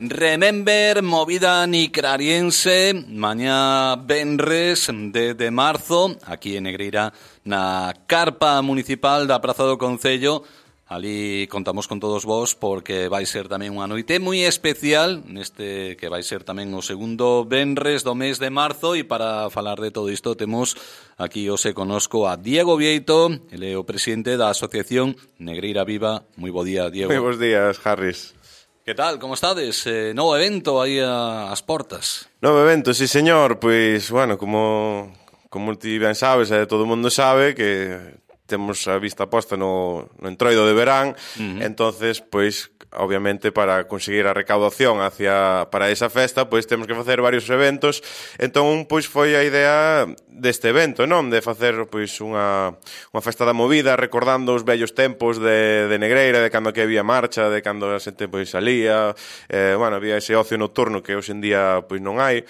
Remember, movida nicrariense, mañá venres de marzo, aquí en Negreira, na carpa municipal da Praza do Concello. Ali contamos con todos vos porque vai ser tamén unha noite moi especial neste que vai ser tamén o segundo venres do mes de marzo, e para falar de todo isto temos aquí hoxe conosco a Diego Vieito, ele é o presidente da Asociación Negreira Viva. Moi bo día, Diego. Moi bons días, Harris. Que tal, como estades? Novo evento aí ás portas. Novo evento, sí señor, pois, bueno, como ti ben sabes, todo o mundo sabe que temos a vista posta no entroido de verán, entonces, pois, obviamente, para conseguir a recaudación para esa festa, pois temos que facer varios eventos. Entón, pois, foi a idea deste evento, non? De facer, pois, unha festa da movida, recordando os vellos tempos de Negreira, de cando que había marcha, de cando a xente, pois, salía, bueno, había ese ocio nocturno que hoxe en día, pois, non hai.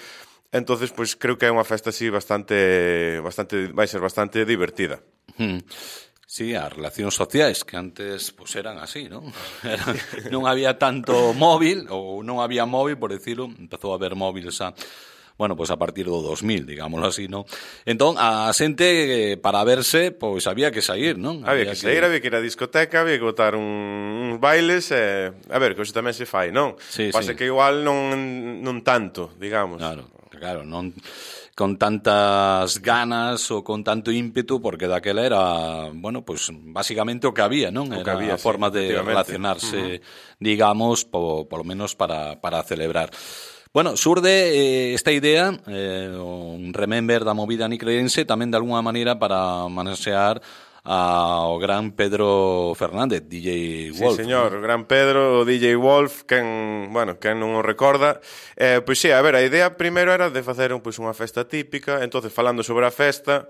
Entonces, pois, creo que é unha festa así vai ser bastante divertida. Sí, as relacións sociais que antes pues, eran así, non? Non había tanto móvil, ou non había móvil, por decirlo, empezou a haber móviles a partir do 2000, digámoslo así, non? Entón, a xente, para verse, pois había que sair, non? Había que sair, había que ir á discoteca, había que botar uns bailes, a ver, que hoxe tamén se fai, non? Sí, pasa que igual non tanto, digamos. Claro, non con tantas ganas ou con tanto ímpetu, porque daquela era, bueno, pues básicamente o que había, non? Era a forma de relacionarse, digamos, polo menos para celebrar. Bueno, surde esta idea, un remember da movida nicreirense, tamén de alguna maneira para manosear ao gran Pedro Fernández, DJ Wolf. Sí, señor, o gran Pedro, o DJ Wolf, quen non o recorda. Pois sí, a ver, a idea primeiro era de facer unha festa típica. Entonces, falando sobre a festa,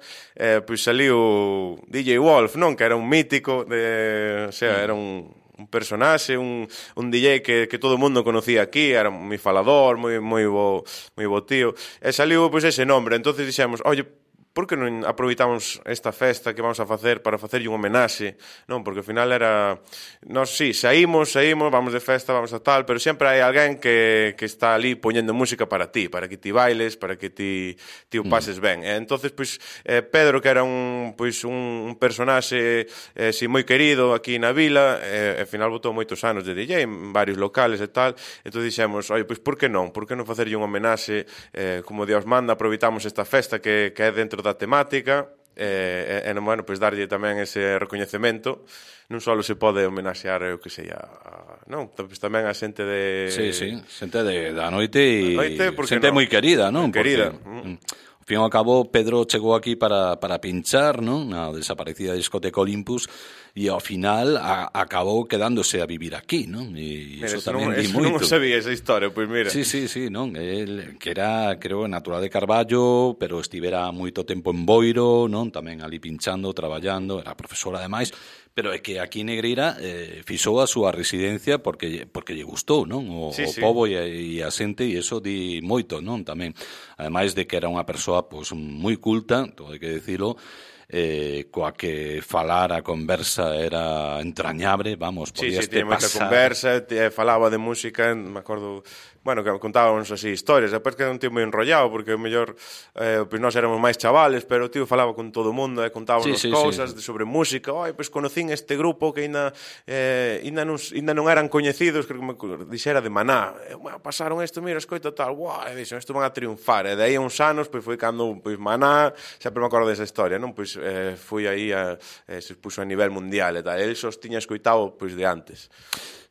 pois saliu DJ Wolf, non? Que era un mítico, era un personaxe, un DJ que todo o mundo conocía aquí, era moi falador, moi bo tío. E saliu pois ese nombre. Entonces dixemos, oye, por que non aproveitamos esta festa que vamos a facer para facerlle un homenaxe, non? Porque ao final era... Nós, sí, saímos, vamos de festa, vamos a tal, pero sempre hai alguén que está ali poñendo música para ti bailes, para que ti o pases ben. Entonces, pois, Pedro, que era un personaxe moi querido aquí na vila, ao final botou moitos anos de DJ en varios locales e tal, entón dixemos, oi, pois, por que non facerlle un homenaxe, como Dios manda, aproveitamos esta festa que é dentro da temática, bueno, pois darlle tamén ese recoñecemento. Non só se pode homenaxear o que sei non, pois tamén a xente de... Sí, xente da noite e xente moi querida, non? Querida. Ao fin e ao cabo, Pedro chegou aquí para pinchar, non? Na desaparecida discoteca Olympus, e ao final acabou quedándose a vivir aquí, non? E iso tamén di moito. Non sabía esa historia, pois mira. Sí, non? El, que era, creo, natural de Carballo, pero estivera moito tempo en Boiro, non? Tamén ali pinchando, traballando, era profesora ademais, pero é que aquí en Negreira fixou a súa residencia porque lle gustou, non? O pobo e a xente, e iso di moito, non? Tamén, ademais de que era unha persoa pois moi culta, todo hai que dicilo, coa que falar a conversa era entrañable, vamos, podías te pasar. Sí, tiña moita conversa, falaba de música, me acordo, bueno, que contábamos así historias, depois que era un tío moi enrollado, porque o mellor, pois nós éramos máis chavales, pero o tío falaba con todo o mundo, contábamos cousas sobre música, pois conocín este grupo que ainda non eran coñecidos, que me dixera de Maná, pasaron isto, mira, escoita tal, e dixen, isto van a triunfar, e de aí a uns anos, pois foi cando, pois Maná, sempre me acordo desa historia, non? Pois foi aí, se puxo a nivel mundial e tal, el só tiña escoitado, pois, de antes.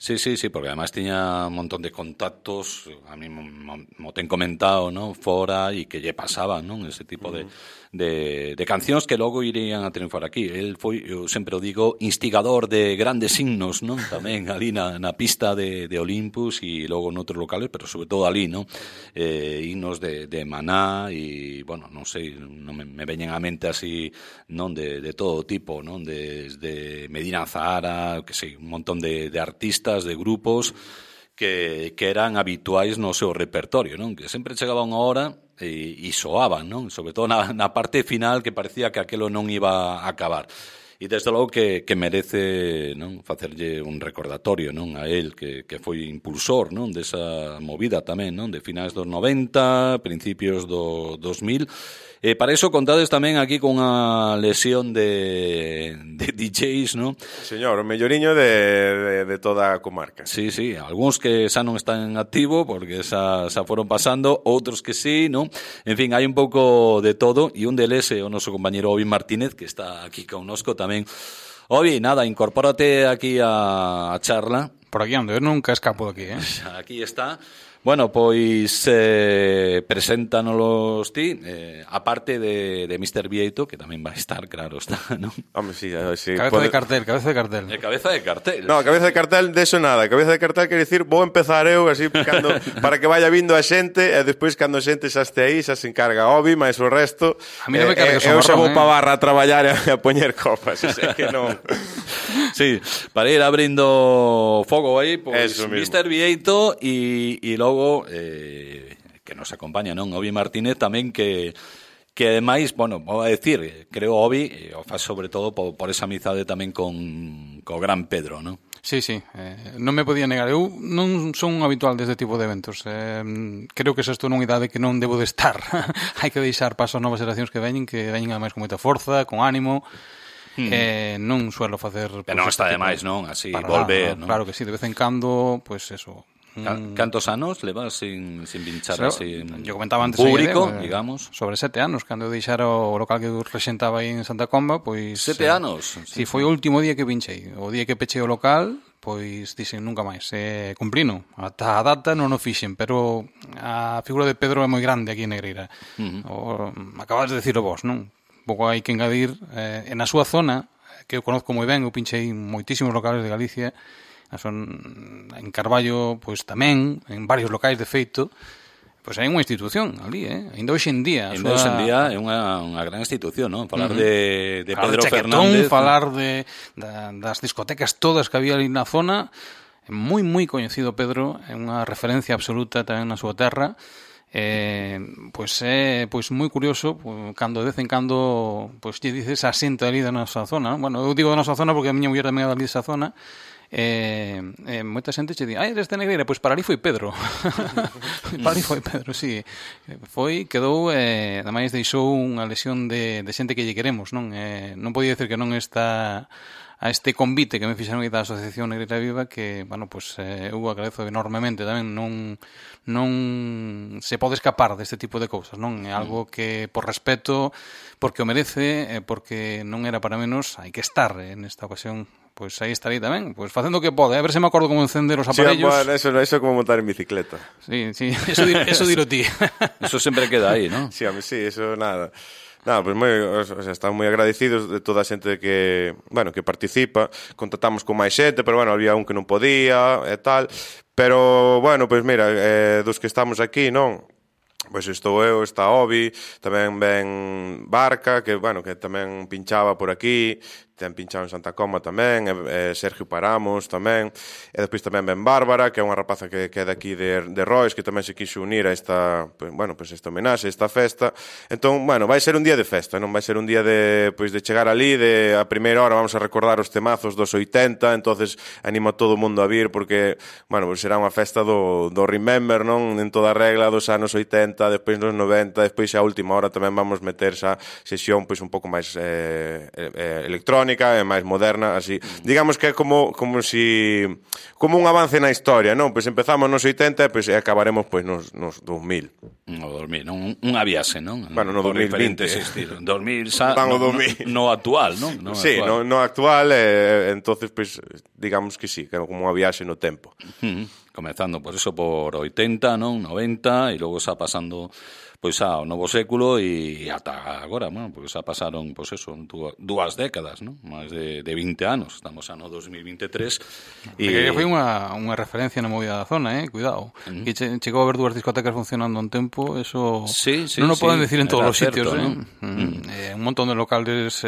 Sí, porque además tiña un montón de contactos, a mí mo ten comentado, non, fora, e que lle pasaban, non, ese tipo de cancións que logo irían a triunfar aquí. El foi, eu sempre o digo, instigador de grandes himnos, non, tamén ali na pista de Olympus e logo noutros locales, pero sobre todo ali, non, himnos de Maná e, bueno, non sei, non me veñen á mente así, non, de todo tipo, non, desde Medina Zahara, que sei, un montón de artistas, de grupos que eran habituais no seu repertorio, non? Que sempre chegaba unha hora e soaban, non? Sobre todo na parte final, que parecía que aquelo non iba a acabar. desde logo que merece, non, facerlle un recordatorio, non, a él que foi impulsor, non, desa movida tamén, non, de finais dos 90, principios do 2000. Para iso contades tamén aquí con unha lesión de DJs, non? Señor, o melloriño de toda a comarca. Sí, algúns que xa non están en activo porque xa foron pasando, outros que sí, non? En fin, hai un pouco de todo e un deles é o noso compañero Obi Martínez que está aquí connosco tamén. Obi, nada, incorpórate aquí a charla. Por aquí ando, eu nunca escapo de aquí, Aquí está. Bueno, pois preséntanos ti, aparte de Mr. Vieito, que tamén vai estar, claro está, non? Hombre, sí, cabeza de cartel. Cabeza de cartel. No, cabeza de cartel, de eso nada. Cabeza de cartel quer dicir, vou empezar eu, así, para que vaya vindo a xente, e despois, cando a xente xa este aí, xa se encarga Obi, máis o resto. A mí non me cargues o marrón, eu xa vou eh? pa barra a traballar e a poñer copas, o sea que non... Sí, para ir abrindo fogo aí, pois Mr. Vieito e logo que nos acompaña, non? Obi Martínez tamén que ademais, bueno, vou a decir, creo Obi o faz sobre todo por esa amizade tamén co gran Pedro, non? Sí, non me podía negar. Eu non son un habitual deste tipo de eventos. Creo que xa estou nunha idade que non debo de estar. Hai que deixar paso a novas xeracións que veñen ademais con moita forza, con ánimo. Non suelo facer... Pero non está demais, non? Así, nada, volver, non? Claro que sí, de vez en cando, pues eso... Cantos anos levas sin pinchar así yo comentaba antes público, digamos? Sobre 7 anos, cando eu deixara o local que eu rexentaba aí en Santa Comba, pois... 7 anos? Sí, foi o último día que pinchei. O día que pechei o local, pois dixen nunca máis. Cumplino. Ata a data non o fixen, pero a figura de Pedro é moi grande aquí en Negreira. Acabas de decirlo vos, non? Un pouco hai que engadir. En a súa zona, que eu conozco moi ben, eu pinchei moitísimos locales de Galicia, son en Carballo, pois tamén, en varios locais de feito, pois hai unha institución ali, ainda hoxe en día. Ainda hoxe en día é unha gran institución, non? Falar de Pedro Chaquetón, Fernández, falar das discotecas todas que había ali na zona, é moi coñecido Pedro, é unha referencia absoluta tamén na súa terra. Pois é moi curioso cando de vez en cando pois lle dices a xente ali da nosa zona, non? Bueno, eu digo da nosa zona porque a miña muller tamén é dali desa zona. Moita xente che di, eres de Negreira, pois para ali foi Pedro. Para ali foi Pedro, sí. Quedou, ademais deixou unha lesión de xente que lle queremos, non? Non podía decir que non está a este convite que me fixeron da Asociación Negreira Viva, que, bueno, pois eu agradezo enormemente tamén, non se pode escapar deste tipo de cousas, non? É algo que, por respeto, porque o merece, porque non era para menos, hai que estar nesta ocasión. Pois aí estarei tamén, pois facendo o que pode, a ver se me acordo como encender os aparellos. Sí, bueno, eso é como montar en bicicleta. Sí, eso dilo ti. Eso sempre queda aí, non? Sí, eso nada. Nada, pues estamos moi agradecidos de toda a xente que, bueno, que participa. Contactamos con máis xente, pero bueno, había un que non podía e tal. Pero, bueno, pues mira, dos que estamos aquí, non? Pois estou eu, está Obi, tamén ven Barca, que, bueno, que tamén pinchaba por aquí, ten pinchado en Santa Coma tamén, Sergio Paramos tamén, e despois tamén ven Bárbara, que é unha rapaza que é daqui de Rois, que tamén se quixo unir a esta, bueno, pues esta homenaxe, esta festa. Entón, bueno, vai ser un día de festa, non vai ser un día de chegar ali, a primeira hora vamos a recordar os temazos dos 80, entonces animo a todo o mundo a vir, porque, bueno, pues será unha festa do Remember, non? En toda a regla dos anos 80, despois nos 90, despois a última hora tamén vamos meter esa sesión pois un pouco máis electrónica, e máis moderna, así. Digamos que é como un avance na historia, non? Pois empezamos nos 80 e acabaremos pois nos 2000. No 2000, non? Unha viaxe, non? Bueno, no 2020. 2000 xa no actual, non? Sí, no actual, entonces pois digamos que sí, que é como unha viaxe no tempo. Comezando por eso por 80, non? 90 e logo xa pasando pois ao novo século e ata agora, bueno, pois xa pasaron pois eso, dúas décadas, non? Máis de 20 anos, estamos xa no 2023 e foi unha referencia na movida da zona, cuidado. Que chegou a ver dúas discotecas funcionando un tempo, eso non o poden decir en todos os sitios, non? Un montón de locales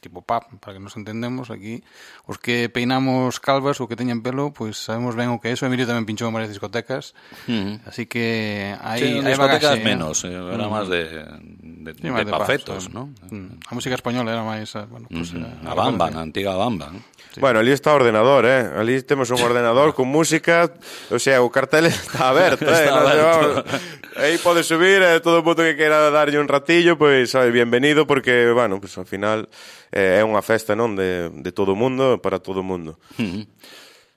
tipo pub, para que nos entendemos aquí, os que peinamos calvas ou que teñen pelo, pois sabemos ben o que é eso. Emilio tamén pinchou en varias discotecas, así que hai discotecas menos, era máis de de pafetos, ¿no? A música española era máis, bueno, pues, a Bamba, na antiga Bamba, ¿no? Sí. Bueno, ali está o ordenador, ali temos un ordenador con música, o sea, o cartel está aberto, Está aberto. Aí pode subir, todo o mundo que queira darlle un ratillo, pois, bienvenido, porque, bueno, pues ao final é unha festa, non, de todo o mundo, para todo o mundo.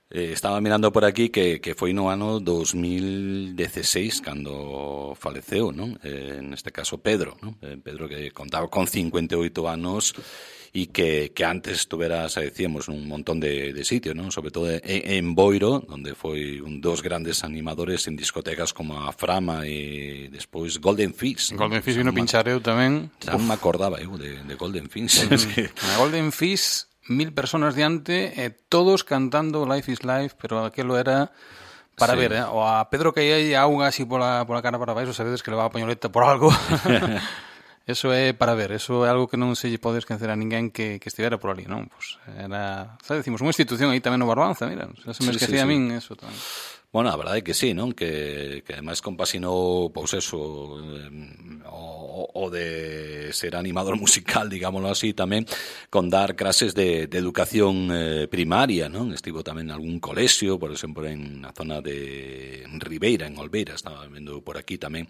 Estaba mirando por aquí que foi no ano 2016 cando faleceu, non? Neste caso Pedro, non? Pedro que contaba con 58 anos e que antes estuveras, decíamos, nun montón de sitios, non? Sobre todo en Boiro, onde foi un dos grandes animadores en discotecas como a Frama e despois Golden Fish. Golden Fish vino pinchar eu tamén. Xa me acordaba eu de Golden Fish. A Golden Fish, 1000 personas diante, todos cantando Life is Life, pero aquilo era para ver, o a Pedro que hai auga así pola cara para baixo, sabedes que le va a pañoleta por algo. Eso é para ver, eso é algo que non se lle pode esquecer a ninguén que estivera por ali, non? Pues era, sabes, decimos, unha institución aí tamén no Barbanza, mira, se me esquecía a min eso tamén. Bueno, a verdade é que sí, non? Que ademais compasinou, pois eso, o de ser animador musical, digámoslo así, tamén con dar clases de educación primaria, non? Estivo tamén en algún colexio, por exemplo, en a zona de Ribeira, en Olveira, estaba vendo por aquí tamén.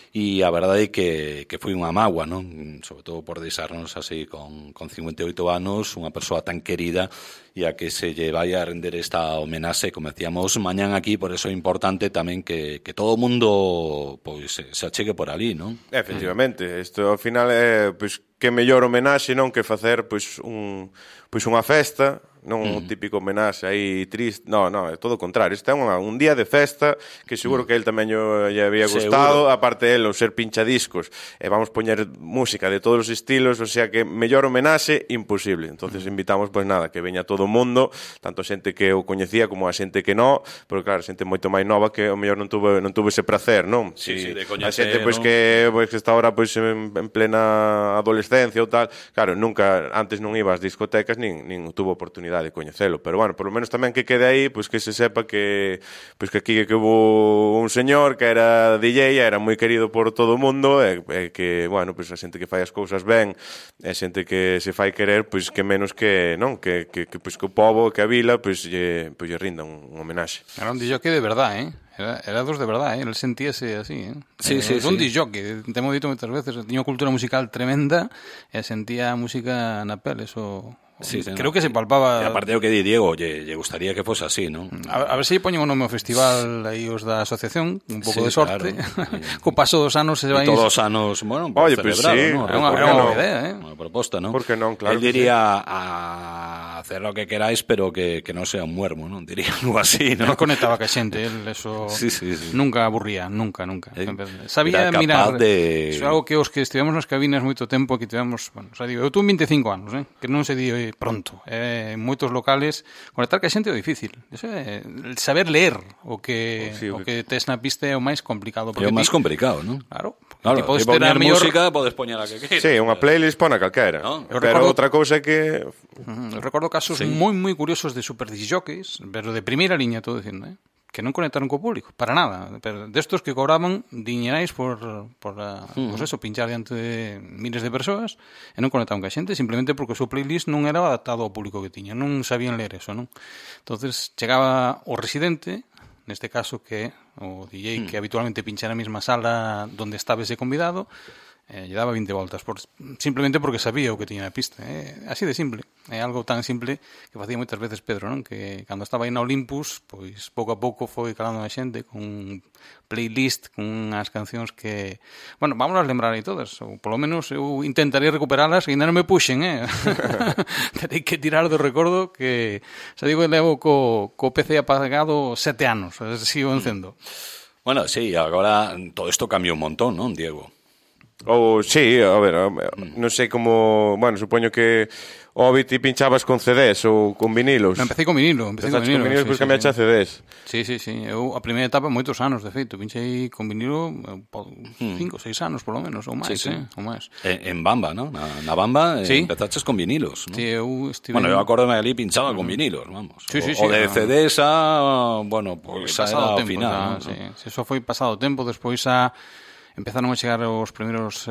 E a verdade é que foi unha mágoa, non? Sobre todo por deixarnos así con 58 anos, unha persoa tan querida e a que se lle vai a render esta homenaxe, como decíamos, mañán aquí, por eso é importante tamén que todo o mundo pois se achegue por ali, non? Efectivamente, isto ao final é pois que mellor homenaxe, non, que facer pois unha festa, non un típico homenaxe aí triste, no, é todo o contrario, isto é un día de festa que seguro que el tamén lle había gustado, aparte el, o ser pinchadiscos, e vamos poñer música de todos os estilos, o sea que mellor homenaxe imposible. Entonces invitamos, pois nada, que veña todo o mundo, tanto a xente que o coñecía como a xente que non, porque claro, a xente moito máis nova que o mellor non tuvo ese placer, non? Sí, de coñecer, a xente pois que está ahora pois en plena adolescencia ou tal, claro, nunca antes non iba ás discotecas nin tuvo oportunidade de coñecelo, pero bueno, por lo menos tamén que quede aí, pois que se sepa que pois que aquí que hubo un señor que era DJ, era moi querido por todo o mundo, e que, bueno, pois a xente que fai as cousas ben, a xente que se fai querer, pois que menos que, non, que pois que o pobo, que a vila, pois lle rinda un homenaxe. Era un DJ de verdade, Era dos de verdade, el sentíase así, Sí. Un DJ, temo dito moitas veces, tiña unha cultura musical tremenda e sentía a música na pel, eso... Sí, creo que se palpaba. E aparte o que di Diego, lle gustaría que fose así, non? A ver se poñen o nome ao festival aí os da asociación, un pouco de sorte. Claro. Co paso dos anos se vai. Todos os anos, bueno, oye, pues sí, ¿no? É unha idea, Unha proposta, non? Por que non, claro. Él diría a hacer lo que queráis, pero que non sea un muermo, non? Diría algo así, non? Non conectaba ca xente, él eso sí. Nunca aburría, nunca. Sabía mirar. Iso é algo que os que estivemos nas cabinas moito tempo, que tivemos, bueno, xa digo, eu tuve 25 anos, que non se di pronto. En moitos locales conectar ca xente é difícil. Eso é saber leer o que tes na pista é o máis complicado. É o máis complicado, non? Claro. Claro, podes poner música, podes poñer a que queira. Sí, unha playlist pon a calquera. No? Pero outra cousa é que... Eu recordo casos moi curiosos de super disjockeys, pero de primeira liña, todo dicindo, que non conectaron co público, para nada. Pero destos que cobraban diñerais por pues eso, pinchar diante de miles de persoas e non conectaron ca xente, simplemente porque o seu playlist non era adaptado ao público que tiña, non sabían ler eso, non? Entonces chegaba o residente, neste caso que o DJ que habitualmente pincha na mesma sala donde estaba ese convidado, lle daba 20 voltas simplemente porque sabía o que tiña na pista, así de simple. É algo tan simple que facía moitas veces Pedro, non? Que cando estaba aí na Olympus, pois pouco a pouco foi calando a xente con un playlist, con unhas cancións que, bueno, vámonos lembrar aí todas, ou polo menos eu intentarei recuperalas e ainda non me puxen, terei que tirar do recordo que, xa digo, levo co PC apagado 7 anos, sigo encendo. Bueno, sí, agora todo isto cambiou un montón, non, Diego? Sí, a ver, non sei como... Bueno, supoño que Obi ti pinchabas con CDs ou con vinilos. Empecé con vinilo. Empezaste con vinilos, depois cambiaste a CDs. Sí. Eu a primeira etapa moitos anos, de feito. Pinchei con vinilo 5 ou 6 anos, polo menos, ou máis, ou máis. En Bamba, non? Na Bamba empezaches con vinilos, non? Sí, eu estive... Bueno, eu acordome ali pinchaba con vinilos, vamos. Sí. O de CDs a... Bueno, pois era ao final. Sí, eso foi pasado tempo, despois a... empezaron a chegar os primeiros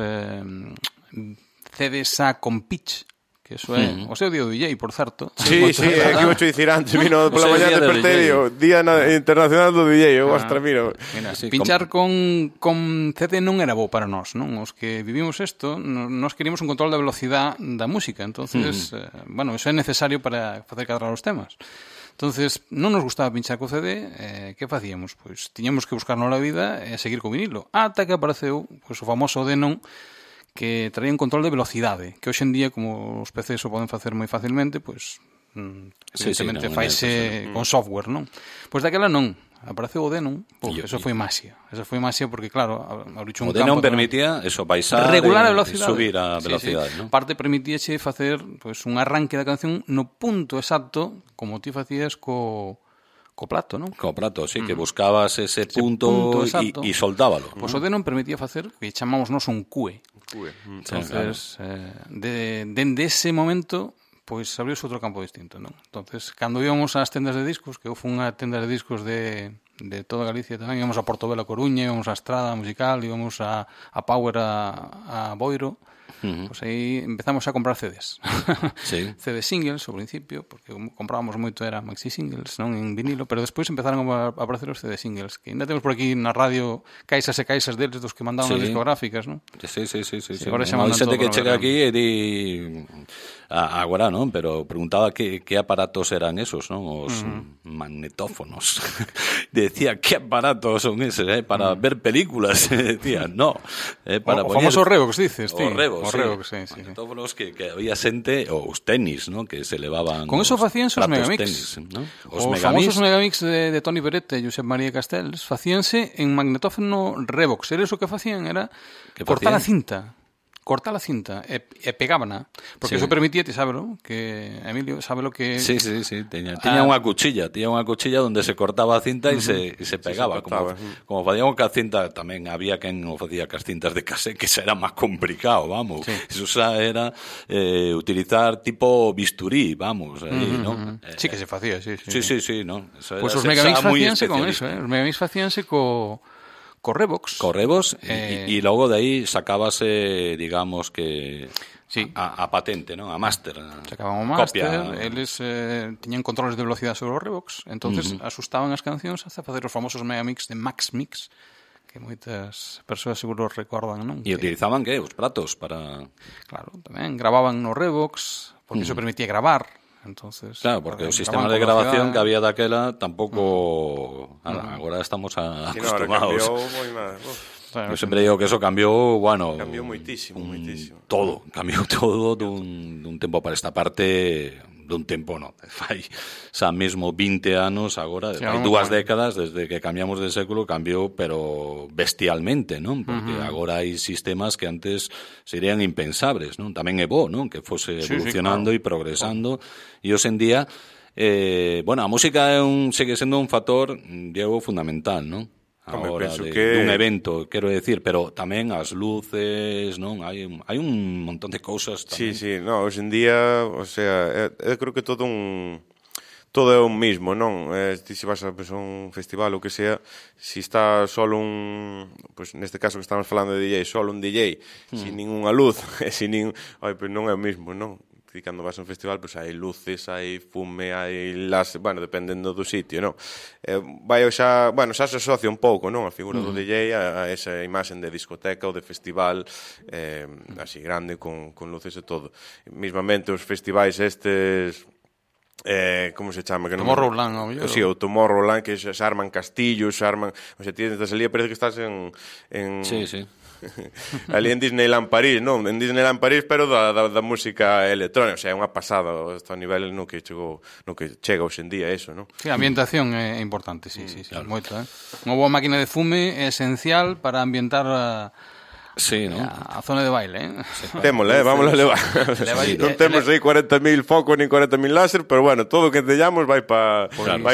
CDs con pitch, que eso é o seu día do DJ, por certo. Sí, é que vou dicir antes, vino pola mañá despertei, Día Internacional do DJ, ostra, mira, pinchar con CD non era bo para nós, non? Os que vivimos isto, nós queríamos un control da velocidade da música, entonces, bueno, eso é necesario para facer cadrar os temas. Entonces, non nos gustaba pinchar co CD, que facíamos? Pois tiñamos que buscarnos a vida e seguir co vinilo, ata que apareceu pois, o famoso Denon, que traía un control de velocidade, que hoxe en día, como os PCs o poden facer moi facilmente, pois, evidentemente, faise con software, non? Pois daquela non. Apareceu o Denon, eso foi magia. Eso foi magia porque, claro, abriu un campo... O Denon permitía eso, baixar regular a velocidade, subir a velocidade, non? Parte permitíache facer pois, un arranque da canción no punto exacto como ti facías co plato, non? Co plato, sí, que buscabas ese punto e soltábalo. Pois o Denon permitía facer o que chamamos nos un QE. Entonces, dende ese momento, pois abriuse outro campo distinto, non? Entonces, cando íbamos ás tendas de discos, que eu fui unha tenda de discos de toda Galicia tamén, íbamos a Portobelo, a Coruña, íbamos a Estrada Musical, íbamos a Power, a Boiro, pois aí empezamos a comprar CDs. Sí. CD singles, ao principio, porque comprábamos moito era maxi singles, non en vinilo, pero despois empezaron a aparecer os CD singles, que ainda temos por aquí na radio caixas e caixas deles dos que mandaban as discográficas, non? Sí. Agora xa mandan xente todo que chega aquí e di agora, non? Pero preguntaba que aparatos eran esos, non? Os magnetófonos. Decía, que aparatos son eses, para ver películas? Decía, no. Para o famoso Revox, dices, ti? O Revox, sí. Magnetófonos que había xente, ou os tenis, non? Que se levaban... Con eso facíanse os megamix. Tenis, ¿no? Os famosos megamix de Toni Beretta e Josep María Castells facíanse en magnetófono Revox. Eles o que facían era cortar a cinta e pegábana, porque eso permitía, ti sábelo, que Emilio sabe lo que... Sí, tiña unha cuchilla onde se cortaba a cinta e se pegaba, como facíamos ca cinta, tamén había quen o facía cas cintas de casé, que xa era máis complicado, vamos, eso xa era utilizar tipo bisturí, vamos, aí, non? Sí que se facía, sí, non? Pois os megamix facíanse con eso, os megamix facíanse co Revox. E logo de aí sacábase, digamos que a patente, non? A máster. Sacaban o máster, eles tiñan controles de velocidade sobre o Revox, entonces asustaban as cancións hasta facer os famosos megamix de Max Mix, que moitas persoas seguro recordan, non? E utilizaban que os platos para... Claro, tamén gravaban no Revox, porque iso permitía gravar. Entonces, claro, porque o sistema de grabación que había daquela tampouco agora estamos acostumados. Eu sempre digo que eso cambiou, bueno, cambiou moitísimo. Todo, cambiou todo dun tempo para esta parte, dun tempo non, fai xa mesmo 20 anos agora, hai 2 décadas desde que cambiamos de século, cambiou pero bestialmente, non? Porque agora hai sistemas que antes serían impensables, non? Tamén é bo, non? Que fose evolucionando e progresando, e hoxe en día bueno, a música segue sendo un factor, Diego, fundamental, non? Ahora dun evento, quero decir, pero tamén as luces, non? Hai un montón de cousas tamén. Sí, no, hoxe en día, o sea, eu creo que todo é o mismo, non? Ti se vas a un festival ou que sea, si está solo pois neste caso que estamos falando de DJ, solo un DJ, sin ninguna luz, pois non é o mismo, non? E cando vas a un festival, pois hai luces, hai fume, hai bueno, dependendo do sitio, non? Xa se asocia un pouco, non? A figura do DJ a esa imaxen de discoteca ou de festival así grande, con luces e todo. Mismamente os festivais estes... como se chama? Tomorrowland, sí, o Tomorrowland, que se arman castillos, o sea, ti estás ali, parece que estás en... Sí. Ali en Disneyland París, non? En Disneyland París, pero da música electrónica, o sea, é unha pasada a nivel no que chega hoxe en día eso, non? Sí, a ambientación é importante, sí, moito, Unha boa máquina de fume é esencial para ambientar a Sí, ¿no? A zona de baile, Témola, vamos a levar. Non temos aí 40.000 focos nin 40.000 láser, pero bueno, todo o que teñamos vai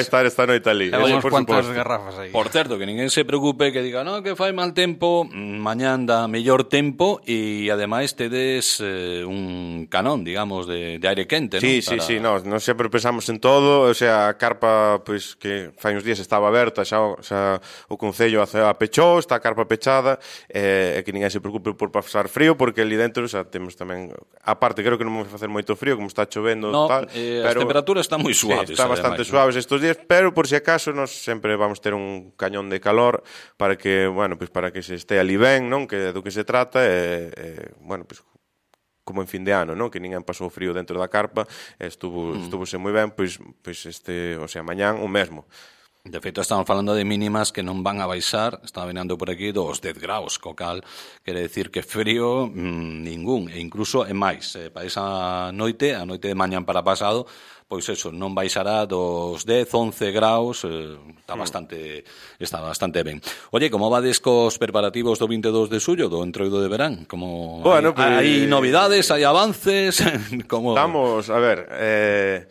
estar esta noite ali. Levamos cuantas garrafas aí. Por certo, que ninguén se preocupe que diga, no, que fai mal tempo, mañá anda mellor tempo e ademais tedes un canón, digamos, de aire quente, Sí, ¿no? sí, nós sempre pensamos en todo, o sea, a carpa, pois, que fai uns días estaba aberta, xa o Concello a pechou, está a carpa pechada, e que ninguén se preocupe por pasar frío, porque ali dentro xa temos tamén, aparte, creo que non vamos facer moito frío, como está chovendo, No, tal, as temperaturas están moi suaves. Sí, está bastante ademais, suaves estes días, pero por si acaso nós sempre vamos ter un cañón de calor para que, bueno, pues para que se este ali ben, non? Que do que se trata, bueno, pues como en fin de ano, non? Que ninguén pasou frío dentro da carpa, estuvose moi ben, pois o sea, mañán o mesmo. De feito, estamos falando de mínimas que non van a baixar, estaba venando por aquí, dos 10 graus, co cal quere decir que frío ningún, e incluso é máis. Para esa noite, a noite de mañán para pasado, pois eso, non baixará dos 10, 11 graus, está bastante ben. Oye, como vades cos preparativos do 22 de xullo, do entroido de verán? Como bueno, hai novidades, hai avances? Como... Estamos, a ver...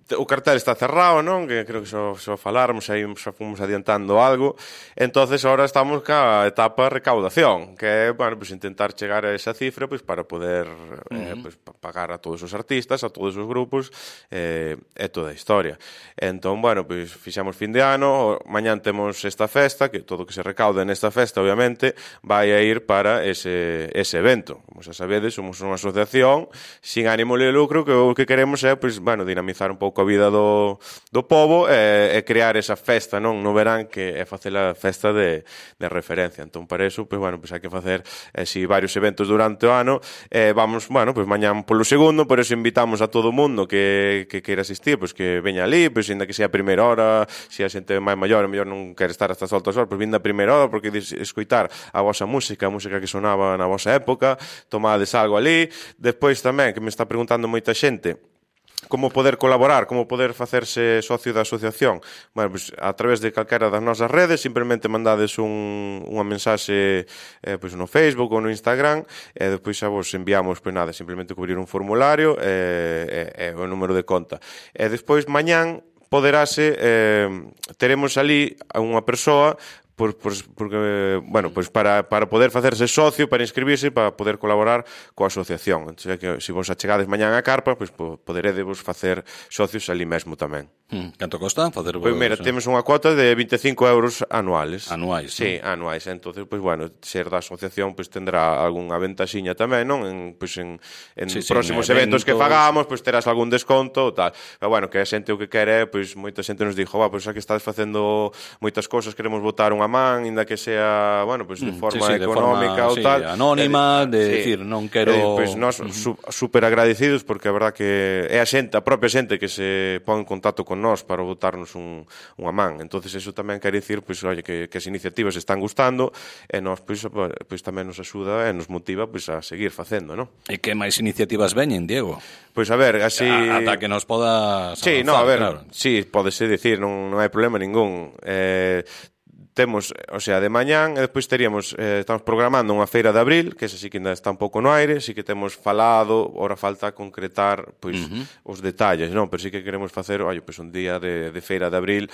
o cartel está cerrado, non? Que creo que só faláramos, aí xa fomos adiantando algo. Entonces, ahora estamos ca etapa recaudación, que é, bueno, pues intentar chegar a esa cifra, pues para poder pues, pagar a todos os artistas, a todos os grupos, e toda a historia. Entón, bueno, pues fixamos fin de ano, mañán temos esta festa, que todo o que se recauda nesta festa, obviamente, vai a ir para ese evento. Como xa sabedes, somos unha asociación sin ánimo de lucro, que o que queremos é, pues, bueno, dinamizar un pouco a vida do pobo e crear esa festa, non, no verán, que é facer a festa de referencia. Entón, para eso, pues, bueno, pues hai que facer varios eventos durante o ano. Vamos, bueno, pues mañán polo segundo, por eso invitamos a todo o mundo que queira asistir, pues que veña ali, pues ainda que sea a primeira hora, se a xente máis maior, a mellor non quere estar hasta as altas horas, pues vinda a primeira hora, porque escoitar a vosa música, a música que sonaba na vosa época, tomades algo ali. Despois tamén, que me está preguntando moita xente, como poder colaborar, como poder facerse socio da asociación. Bueno, pues, a través de calquera das nosas redes, simplemente mandades unha mensaxe pues, no Facebook ou no Instagram, e depois xa vos enviamos, pues nada, simplemente cubrir un formulario e o número de conta. E despois, mañán, teremos ali unha persoa porque, bueno, pues para poder facerse socio, para inscribirse, para poder colaborar coa asociación. Entón, que se vos achegades mañán a carpa, pues poderedevos facer socios ali mesmo tamén. Canto costa facer vos? Pois mira, temos unha cuota de 25 euros anuales. Anuais, sí, non? Anuais. Entonces, pues bueno, ser da asociación pues tendrá algunha ventaxiña tamén, non? En próximos eventos que fagamos, pues terás algún desconto ou tal. Pero bueno, que a xente o que quere, pues moita xente nos dixo, pues xa que estás facendo moitas cosas, queremos botar unha man, inda que sea, bueno, pues de forma económica ou tal, anónima, decir, non quero... Pues nós super agradecidos, porque a verdad que é a xente, a propia xente que se pon en contacto con nós para botarnos unha man. Entonces eso tamén quere dicir, pues, oye, que as iniciativas están gustando, e nós, pues tamén nos axuda e nos motiva, pues, a seguir facendo, non? E que máis iniciativas veñen, Diego? Pois a ver, así... Ata que nos podas avanzar, sí, no, a ver, claro. Sí, pódese dicir, non hai problema ningún. Temos, o sea, de mañán, e despois teríamos, estamos programando unha feira de abril, que esa sí que ainda está un pouco no aire, sí que temos falado, ora falta concretar, pois, os detalles, non? Pero sí que queremos facer, pois un día de feira de abril,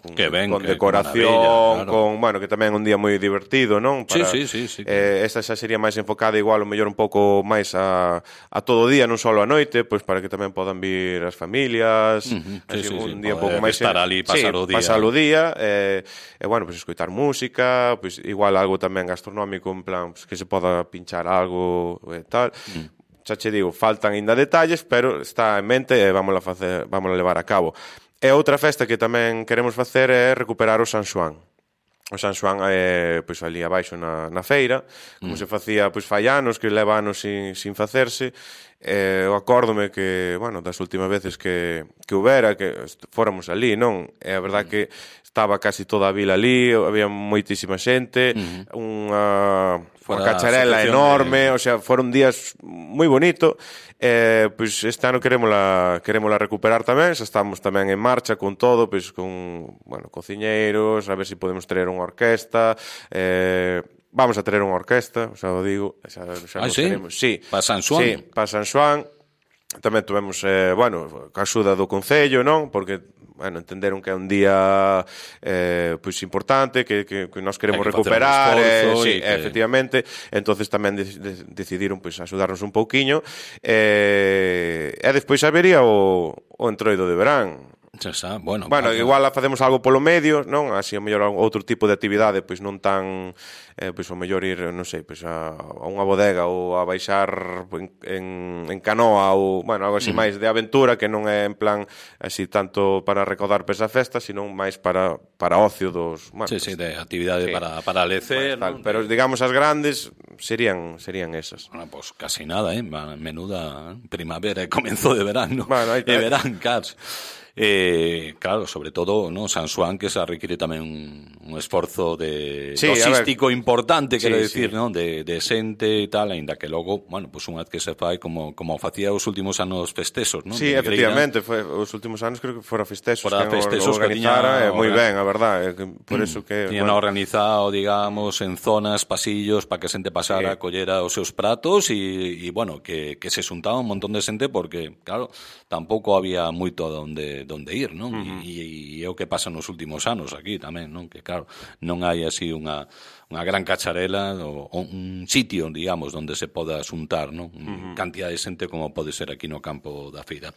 con decoración, claro. Bueno, que tamén é un día moi divertido, non? Para, sí. Esta xa sería máis enfocada igual, o mellor un pouco máis a todo o día, non só a noite, pois para que tamén podan vir as familias, un día un pouco máis... Estar ali, pasar o día. Pasar o día, e bueno, pues escoitar música, pues igual algo tamén gastronómico, en plan, pues, que se poda pinchar algo e tal. Xa che digo, faltan ainda detalles, pero está en mente e vámola levar a cabo. E outra festa que tamén queremos facer é recuperar o San Xoán. O San Xoán é, pois, ali abaixo na feira, como se facía, pois, fai anos, que leva anos sin facerse. Eu acórdome que, bueno, das últimas veces que houbera, que fóramos ali, non? É a verdad que estaba casi toda a vila ali, había moitísima xente, unha cacharela enorme, o sea, foron días moi bonito. Pois este ano querémola recuperar tamén, xa estamos tamén en marcha con todo, pois con, bueno, cociñeiros, a ver se podemos traer unha orquesta, vamos a ter unha orquesta, xa o digo, xa nos sí? teremos. Sí, para San Xoán? Sí, para San Xoán. Tamén tuvemos, ca axuda do Concello, non? Porque, entenderon que é un día pois importante, que nós queremos recuperar, sí, efectivamente. Entonces tamén decidiron pois axudarnos un pouquiño. E despois habería o Entroido de verán. Bueno, igual facemos algo polo medio, non? Así, ao mellor, outro tipo de actividade, pois non tan, pois ao mellor ir, non sei, pois a unha bodega ou a baixar en canoa ou, algo así máis de aventura, que non é en plan así tanto para recaudar para esa festa, sino máis para ocio dos... Sí, de actividade para lecer, ¿no? Pero, digamos, as grandes serían esas. Bueno, pues casi nada, menuda primavera e comenzo de verano. E verán, cars. Claro, sobre todo, ¿no? San Xoán, que se requiere tamén un esforzo logístico importante, quero dicir, ¿no? De xente e tal, aínda que logo, pues unha vez que se fai como facía os últimos anos festesos, ¿no? Sí, efectivamente, os últimos anos creo que fora festesos que organizara, moi ben, a verdade, por eso que... Tiñan organizado, digamos, en zonas, pasillos, para que a xente pasara, collera os seus pratos e bueno, que se xuntaba un montón de xente porque, claro, tampouco había moito onde ir, non? E é o que pasa nos últimos anos aquí tamén, non? Que claro, non hai así unha gran cacharela ou un sitio, digamos, onde se poda xuntar, non? Cantidad de xente como pode ser aquí no campo da feira.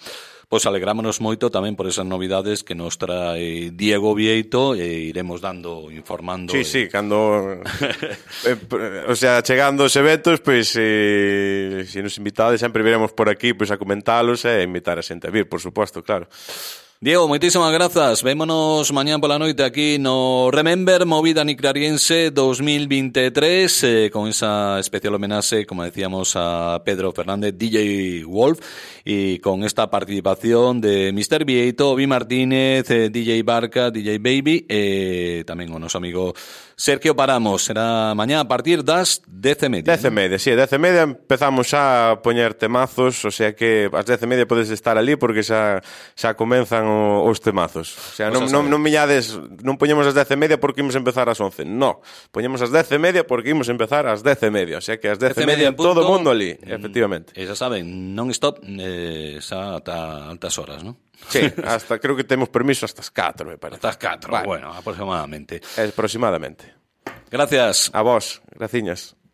Pois alegrámonos moito tamén por esas novidades que nos trae Diego Vieito e iremos informando. Sí, cando chegando os eventos, pois se nos invitades sempre viremos por aquí pois a comentalos e invitar a xente a vir, por suposto, claro. Diego, moitísimas grazas. Vémonos mañán pola noite aquí no Remember Movida Niclariense 2023 con esa especial homenaxe, como decíamos, a Pedro Fernández, DJ Wolf, y con esta participación de Mr. Vieito, Vi Martínez, DJ Barca, DJ Baby e tamén o noso amigo Sergio Paramos. Será mañá a partir das 10:30. 10:30, sí, 10:30 empezamos xa a poñer temazos, o sea que ás 10:30 podes estar ali porque xa comenzan os temazos. O sea, non poñemos as 10:30 porque imos empezar ás 11. No, poñemos as 10:30 porque imos empezar ás 10:30. O sea que ás 10:30 todo o mundo ali, efectivamente. E xa saben, non stop xa ata altas horas, non? Sí, creo que temos permiso hasta as 4, me parece. Hasta as 4, bueno, aproximadamente. Aproximadamente. Gracias. A vos, graciñas.